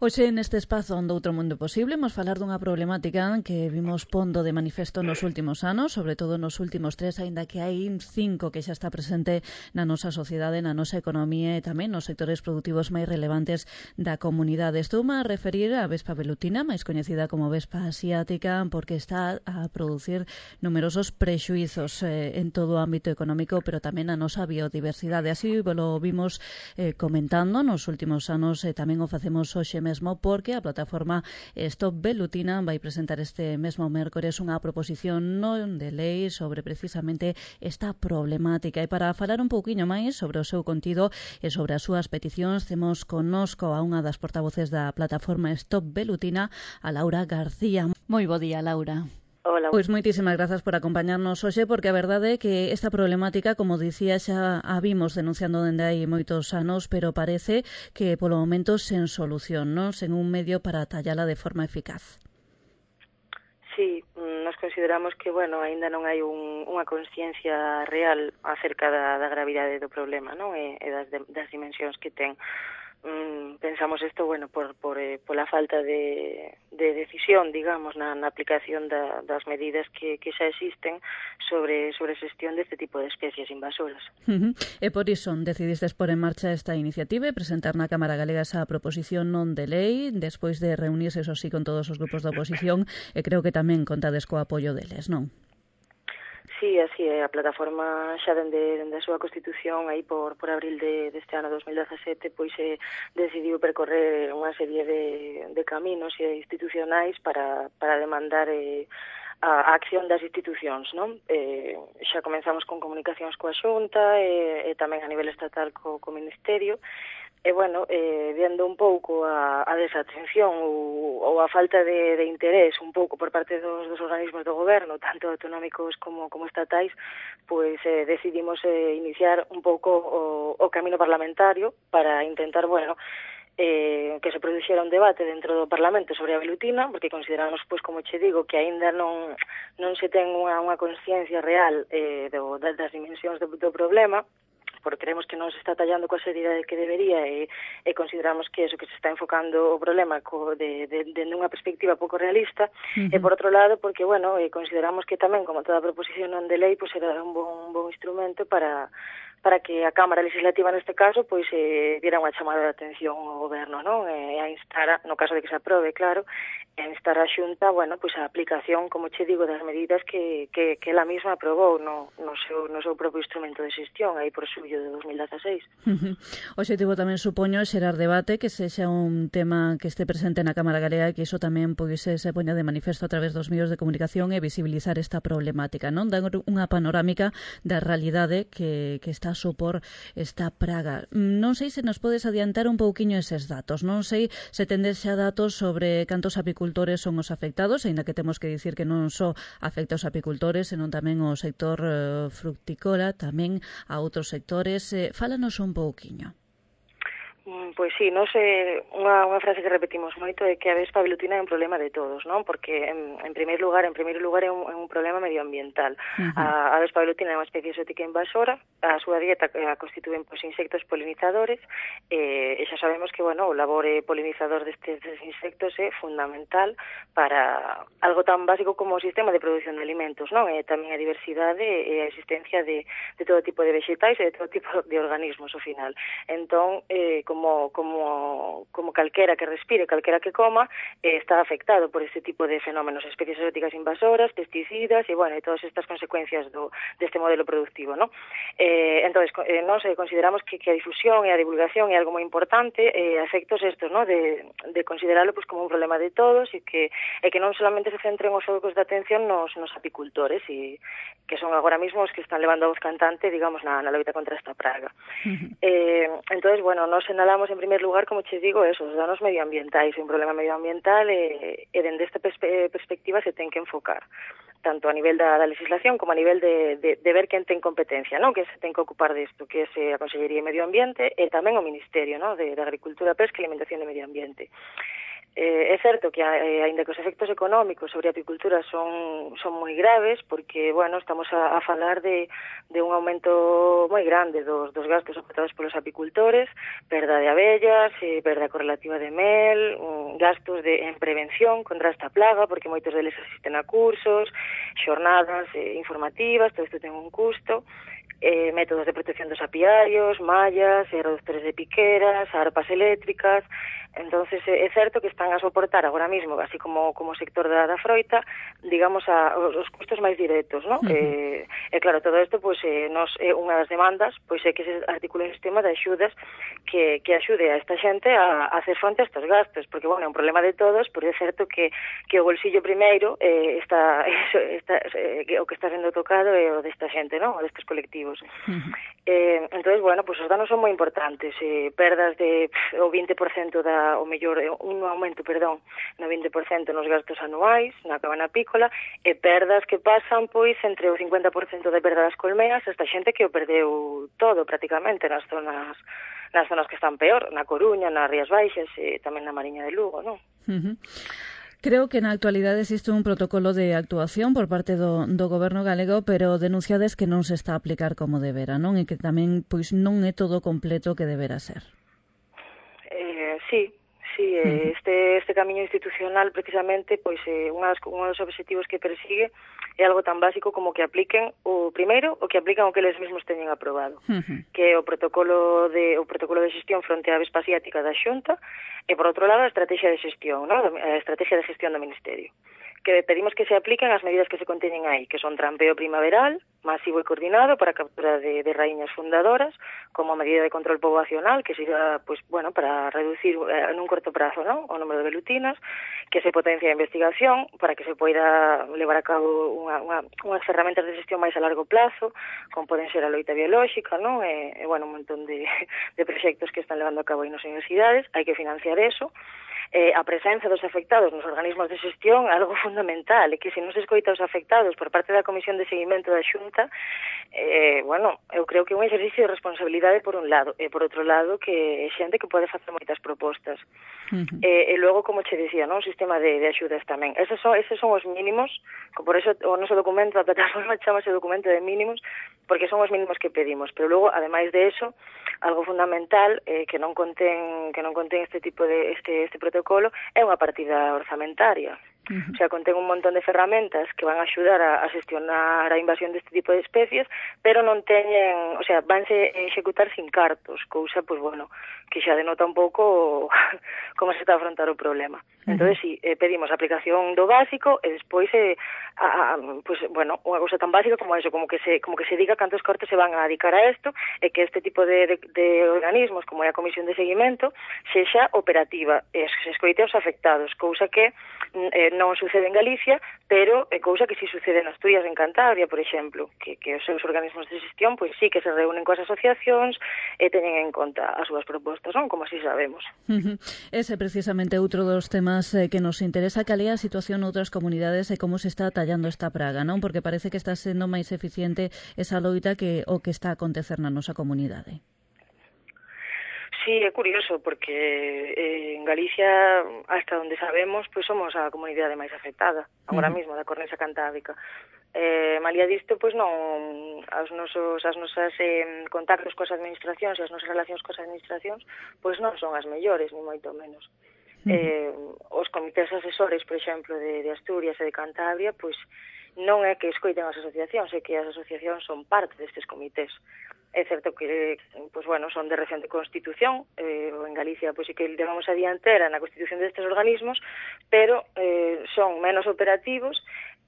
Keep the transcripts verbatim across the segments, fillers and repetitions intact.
Hoxe neste espazo onde outro mundo posible imos falar dunha problemática que vimos pondo de manifesto nos últimos anos, sobre todo nos últimos tres, aínda que hai cinco que xa está presente na nosa sociedade, na nosa economía e tamén nos sectores produtivos máis relevantes da comunidade. Estou a referir á vespa velutina, máis coñecida como vespa asiática, porque está a producir numerosos prexuizos eh, en todo o ámbito económico, pero tamén na nosa biodiversidade. Así lo vimos eh, comentando nos últimos anos e tamén o facemos hoxe mesmo porque a plataforma Stop Velutina vai presentar este mesmo mércores unha proposición non de lei sobre precisamente esta problemática. E para falar un pouquiño máis sobre o seu contido e sobre as súas peticións, temos connosco a unha das portavoces da plataforma Stop Velutina, a Laura García. Moi bo día, Laura. Hola. Pois moitísimas grazas por acompañarnos hoxe, porque a verdade é que esta problemática, como dicía, xa a vimos denunciando dende hai moitos anos, pero parece que polo momento sen solución, non? Sen un medio para tallala de forma eficaz. Sí, nos consideramos que, bueno, aínda non hai un, unha consciencia real acerca da, da gravidade do problema, non? E, e das, de, das dimensións que ten. Mm, pensamos isto, bueno, por, por, eh, por la falta de, de decisión, digamos, na, na aplicación da, das medidas que, que xa existen sobre, sobre xestión deste tipo de especies invasoras. Uh -huh. E por iso decidistes pôr en marcha esta iniciativa e presentar na Cámara Galega esa proposición non de lei, despois de reunirse, eso sí, con todos os grupos da oposición, e creo que tamén contades co apoio deles, non? Sí, así é. A plataforma xa dende, dende a súa constitución aí por, por abril de, deste ano dos mil dezasete pois eh, decidiu percorrer unha serie de, de caminos institucionais para, para demandar eh, a, a acción das institucións, non? Eh, xa comenzamos con comunicacións coa Xunta e, e tamén a nivel estatal co, co Ministerio. E, bueno, eh, vendo un pouco a, a desatención ou, ou a falta de, de interés un pouco por parte dos, dos organismos do goberno, tanto autonómicos como, como estatais, pois eh, decidimos eh, iniciar un pouco o, o camino parlamentario para intentar, bueno, eh, que se produxera un debate dentro do Parlamento sobre a velutina, porque consideramos, pois, como che digo, que aínda non, non se ten unha, unha consciencia real eh, do, das dimensións do, do problema, porque creemos que non se está tallando coa seriedade que debería e, e consideramos que eso, que se está enfocando o problema co, de, de, de unha perspectiva pouco realista. Uh -huh. E por outro lado, porque, bueno, eh, consideramos que tamén, como toda proposición non de lei, pois era un bon, un bon instrumento para para que a Cámara Legislativa neste caso pois eh, diera unha chamada de atención ao goberno, non? E a instar, no caso de que se aprobe, claro, e a instar a Xunta, bueno, pois a aplicación, como che digo, das medidas que, que, que ela mesma aprobou no, no, seu, no seu propio instrumento de xestión aí por xullo de dos mil dezaseis. Uh-huh. O objetivo tamén supoño xerar debate, que sexa un tema que este presente na Cámara Galega e que iso tamén pois se poña de manifesto a través dos medios de comunicación e visibilizar esta problemática, non? Dan unha panorámica da realidade que, que está a supor esta praga. Non sei se nos podes adiantar un pouquiño eses datos, non sei se tendes xa datos sobre cantos apicultores son os afectados, aínda que temos que dicir que non só afecta aos apicultores, senón tamén ao sector uh, fructícola, tamén a outros sectores. Eh, fálanos un pouquiño. Pois sí, non sei, unha, unha frase que repetimos moito é que a vespa velutina é un problema de todos, non? Porque en, en primeiro lugar, en primeiro lugar é un, é un problema medioambiental. Uh -huh. a, a vespa velutina é unha especie exótica invasora, a súa dieta a constituen pois insectos polinizadores, e, e xa sabemos que, bueno, o labor polinizador destes, destes insectos é fundamental para algo tan básico como o sistema de produción de alimentos, non? E tamén a diversidade e a existencia de, de todo tipo de vegetais e de todo tipo de organismos ao final. Entón, eh, como Como, como, como calquera que respire, calquera que coma, eh, está afectado por este tipo de fenómenos, especies exóticas invasoras, pesticidas e, bueno, e todas estas consecuencias do, deste modelo productivo, ¿no? Eh, entonces, eh, nos eh, consideramos que, que a difusión e a divulgación é algo moi importante, eh, a efectos estos, ¿no? De, de considerarlo pues, como un problema de todos e que, e que non solamente se centren os focos de atención nos, nos apicultores, e que son agora mismo os que están levando a voz cantante, digamos, na, na loita contra esta praga. Uh-huh. eh, entonces, bueno, nos enalamos en primer lugar, como che digo, eso, os danos medioambientais, un problema medioambiental e, e dende esta perspe perspectiva se ten que enfocar tanto a nivel da, da legislación como a nivel de, de, de ver quen ten competencia, non? Que se ten que ocupar disto, que é a Consellería de Medio Ambiente e tamén o Ministerio, non? De, de Agricultura, Pesca e Alimentación de Medio Ambiente. Eh, é certo que, eh, aínda que os efectos económicos sobre a apicultura son, son moi graves, porque, bueno, estamos a, a falar de, de un aumento moi grande dos, dos gastos soportados polos apicultores, perda de abellas, eh, perda correlativa de mel, um, gastos de, en prevención contra esta plaga, porque moitos deles asisten a cursos, xornadas eh, informativas, todo isto ten un custo, eh, métodos de protección dos apiarios, mallas, eh, reductores de piqueras, arpas eléctricas. Entonces é certo que están a soportar agora mesmo, así como como sector da, da froita, digamos, a, os custos máis directos, ¿no? Uh-huh. eh, e claro, todo isto, pois, eh, nos, é unha das demandas, pois é que se articule un sistema de axudas que, que axude a esta xente a, a hacer fronte a estes gastos, porque, bueno, é un problema de todos, pero é certo que, que o bolsillo primeiro eh, está, está eh, o que está sendo tocado é o desta xente, ¿no? O destes colectivos. Uh-huh. eh, entonces, bueno, pois os danos son moi importantes, eh, perdas de pff, o vinte por cento da o mellor, un aumento, perdón, no vinte por cento nos gastos anuais na cabana apícola, e perdas que pasan, pois, entre o cincuenta por cento de perda das colmeas, esta xente que o perdeu todo, prácticamente, nas zonas nas zonas que están peor, na Coruña, nas Rías Baixas e tamén na Mariña de Lugo, non? Uh-huh. Creo que na actualidade existe un protocolo de actuación por parte do, do goberno galego, pero denunciades que non se está a aplicar como debera, non? E que tamén, pois, non é todo completo que debera ser. Eh, sí, sí, eh, este este camiño institucional precisamente, pois eh, unha das, un dos obxectivos que persigue é algo tan básico como que apliquen o primeiro o que aplican o que eles mesmos teñen aprobado, uh-huh. que é o protocolo de o protocolo de xestión fronte á avispa asiática da Xunta e por outro lado a estrategia de xestión, ¿no? A estrategia de gestión do Ministerio, que pedimos que se apliquen as medidas que se conteñen aí, que son trampeo primaveral, masivo e coordinado para a captura de, de raíñas fundadoras, como medida de control poboacional, que sirva, pues, bueno, para reducir eh, en un corto prazo, ¿no?, o número de velutinas, que se potencia a investigación para que se poida levar a cabo unha, unha, unhas ferramentas de xestión máis a largo plazo, como poden ser a loita biolóxica, ¿no?, e, e bueno, un montón de, de proxectos que están levando a cabo aí nas universidades, hai que financiar eso. Eh, a presenza dos afectados nos organismos de xestión é algo fundamental, e que se non se escoita os afectados por parte da Comisión de Seguimento da Xunta, eh, bueno, eu creo que é un exercicio de responsabilidade por un lado, e por outro lado que é xente que pode facer moitas propostas. Uh-huh. E, e logo, como che dicía, non, un sistema de, de axudas tamén. Esos son, esos son os mínimos, por eso o noso documento, a plataforma chamase documento de mínimos, porque son os mínimos que pedimos, pero logo, ademais de eso, algo fundamental eh, que non contén que non contén este tipo de este este protocolo é unha partida orzamentaria. Uh-huh. O sea, contén un montón de ferramentas que van a axudar a, a xestionar a invasión deste tipo de especies, pero non teñen, o sea, vanse executar sin cartos, cousa, pois, bueno, que xa denota un pouco como se está a afrontar o problema. Uh-huh. Entón, si, eh, pedimos a aplicación do básico e despois, eh, a, a, pues, bueno, unha cousa tan básica como eso, como que se como que se diga cantos cartos se van a dedicar a isto, e que este tipo de, de, de organismos, como é a Comisión de Seguimento, sexa operativa, e se escoite aos afectados, cousa que eh, non sucede en Galicia, pero é cousa que si sucede en Asturias, en Cantabria, por exemplo, que, que os seus organismos de xestión, pois sí que se reúnen coas asociacións e teñen en conta as súas propostas, non? Como así sabemos. Uh-huh. Ese precisamente outro dos temas eh, que nos interesa, cal é a situación noutras comunidades e como se está tallando esta praga, non? Porque parece que está sendo máis eficiente esa loita que o que está a acontecer na nosa comunidade. Sí, é curioso, porque eh, en Galicia, hasta onde sabemos, pois somos a comunidade máis afectada, agora uh-huh. mesmo, da cornisa cantábrica. Eh, malia disto, pois non, as nosos, as nosas eh, contactos coas administracións e as nosas relacións coas administracións, pois non son as mellores, ni moito menos. Uh-huh. Eh, os comités asesores, por exemplo, de, de Asturias e de Cantabria, pois non é que escoiten as asociacións, é que as asociacións son parte destes comités. É certo que, pois, bueno, son de recente constitución, eh, en Galicia, pois, sí que levamos a diantera na constitución destes organismos, pero eh, son menos operativos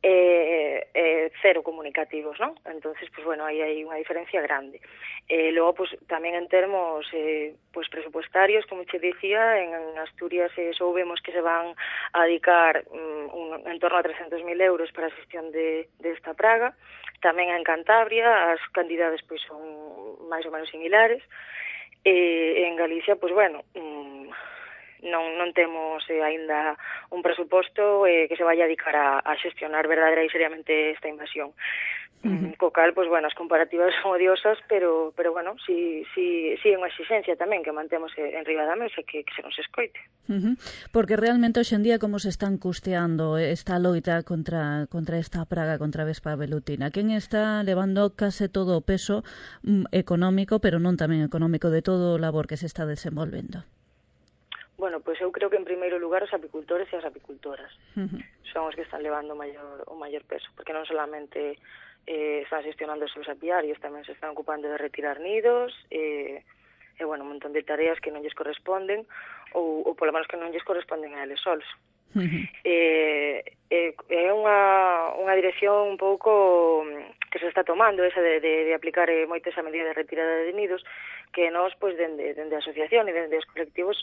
e eh, eh, cero comunicativos, non? Entonces, pois, bueno, aí hai unha diferencia grande. E eh, logo, pois, tamén en termos eh, pois, presupuestarios, como che dicía, en, en Asturias eh, soubemos que se van a dedicar um, un, en torno a trescentos mil euros para a xestión de, de esta praga. Tamén en Cantabria as cantidades pois son máis ou menos similares, e en Galicia, pois bueno, non, non temos eh, aínda un presuposto eh, que se vaya a dedicar a, a xestionar verdadeira e seriamente esta invasión. Uh-huh. Co cal, pois, bueno, as comparativas son odiosas, pero, pero bueno, si, si, si é unha exigencia tamén que mantemos en riba da mesa, que, que se nos escoite. Uh-huh. Porque realmente hoxe en día como se están custeando esta loita contra, contra esta praga, contra a vespa velutina? Quen está levando case todo o peso mm, económico, pero non tamén económico, de todo o labor que se está desenvolvendo? Bueno, pois eu creo que en primeiro lugar os apicultores e as apicultoras uh-huh. son os que están levando o maior, o maior peso, porque non solamente eh, están gestionando os seus apiarios, tamén se están ocupando de retirar nidos, e, e bueno, un montón de tareas que non lles corresponden, ou, ou polo menos que non lles corresponden a eles solos. Uh-huh. Eh, eh, é unha, unha dirección un pouco que se está tomando, esa de, de, de aplicar eh, moito esa medida de retirada de nidos, que nós, pois, dende, dende a asociación e dende os colectivos,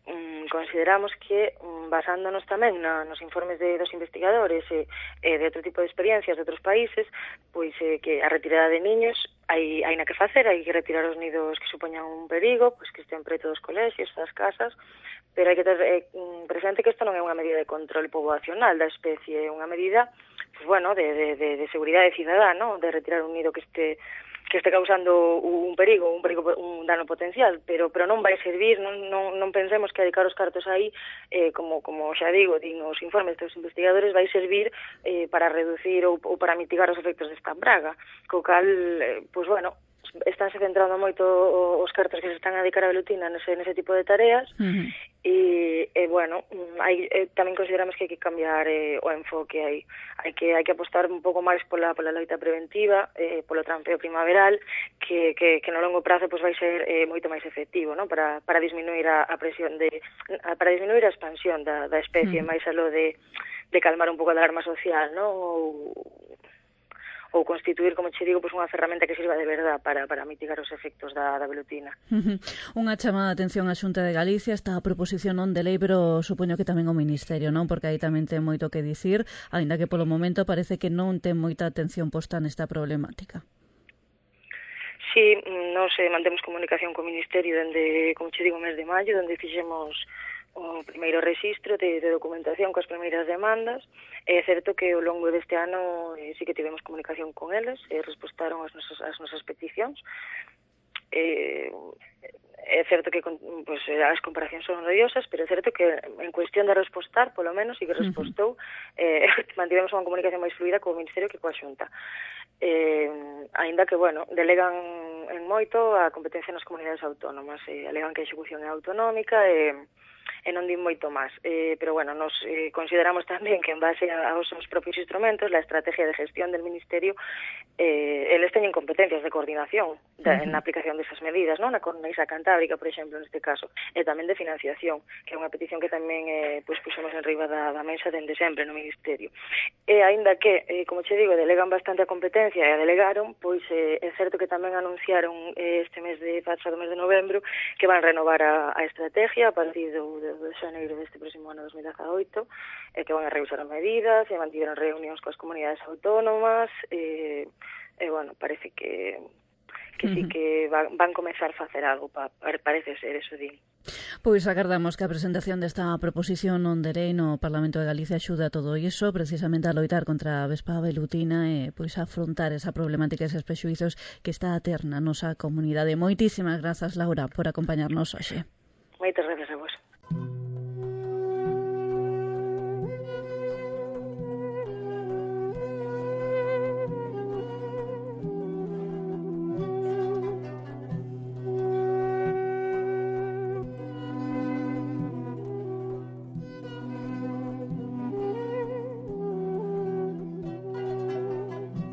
um, consideramos que, um, basándonos tamén na, nos informes de, dos investigadores e eh, de outro tipo de experiencias de outros países, pois eh, que a retirada de niños hai, hai na que facer, hai que retirar os nidos que supoñan un perigo, pois que estén preto dos colexios, das casas, pero hai que ter eh, presente que isto non é unha medida de control poboacional da especie, é unha medida, pues, bueno, de, de, de, de seguridade cidadá, ¿no? De retirar un nido que este que este causando un perigo, un perigo, un dano potencial, pero pero non vai servir, non, non, non pensemos que dedicar os cartos aí, eh, como como xa digo, din os informes dos investigadores, vai servir eh, para reducir ou, ou para mitigar os efectos desta praga, co cal, eh, pois, bueno, estánse centrando moito os cartos que se están a dedicar a velutina nese, nese tipo de tareas. Uh-huh. e, e bueno, hai, eh, tamén consideramos que hai que cambiar eh, o enfoque, hai, hai que hai que apostar un pouco máis pola, pola loita preventiva, eh, polo trampeo primaveral, que, que, que no longo prazo pues, vai ser eh, moito máis efectivo, ¿no? para, para disminuir a, a presión de a, para disminuir a expansión da, da especie, uh-huh. máis aló de, de calmar un pouco a alarma social, ¿no? ou ou constituir, como che digo, pues unha ferramenta que sirva de verdad para, para mitigar os efectos da, da velutina. Uh-huh. Unha chamada de atención á Xunta de Galicia, esta proposición non de lei, pero supoño que tamén o Ministerio, non? Porque aí tamén ten moito que dicir, aínda que polo momento parece que non ten moita atención posta nesta problemática. Sí, nos eh, mantemos comunicación co Ministerio dende, como che digo, o mes de maio, onde fixemos o primeiro registro de, de documentación coas primeiras demandas. É certo que ao longo deste ano eh, sí que tivemos comunicación con eles, e respostaron as nosas, as nosas peticións. Eh, é certo que pues, as comparacións son odiosas, pero é certo que en cuestión de respostar, polo menos, sí que respostou, eh, mantivemos unha comunicación máis fluida co Ministerio que coa Xunta. Eh, aínda que, bueno, delegan en moito a competencia nas comunidades autónomas, eh, alegan que a execución é autonómica e eh, e non din moito máis. Eh, pero, bueno, nos eh, consideramos tamén que en base aos seus propios instrumentos, la estrategia de gestión del Ministerio, eh, eles teñen competencias de coordinación da, uh-huh. en a aplicación desas medidas, non? Na Cornisa Cantábrica, por exemplo, neste caso, e tamén de financiación, que é unha petición que tamén eh, pues, puxemos en riba da, da mesa dende sempre no Ministerio. E aínda que, eh, como che digo, delegan bastante a competencia e a delegaron, pois é eh, certo que tamén anunciaron eh, este mes de pasado mes de novembro que van renovar a, a estrategia a partir do de xaneiro deste próximo ano dos mil dezaoito, e que van a revisar as medidas, e mantiveron reunións coas comunidades autónomas, e, e bueno, parece que que sí que van, van comezar a facer algo, pa, parece ser, eso din. Pois agardamos que a presentación desta proposición non de lei no Parlamento de Galicia axude a todo iso, precisamente a loitar contra a vespa velutina e pois a afrontar esa problemática, eses prexuizos que está a ter na nosa comunidade. Moitísimas grazas, Laura, por acompañarnos hoxe. Moitas grazas a vos.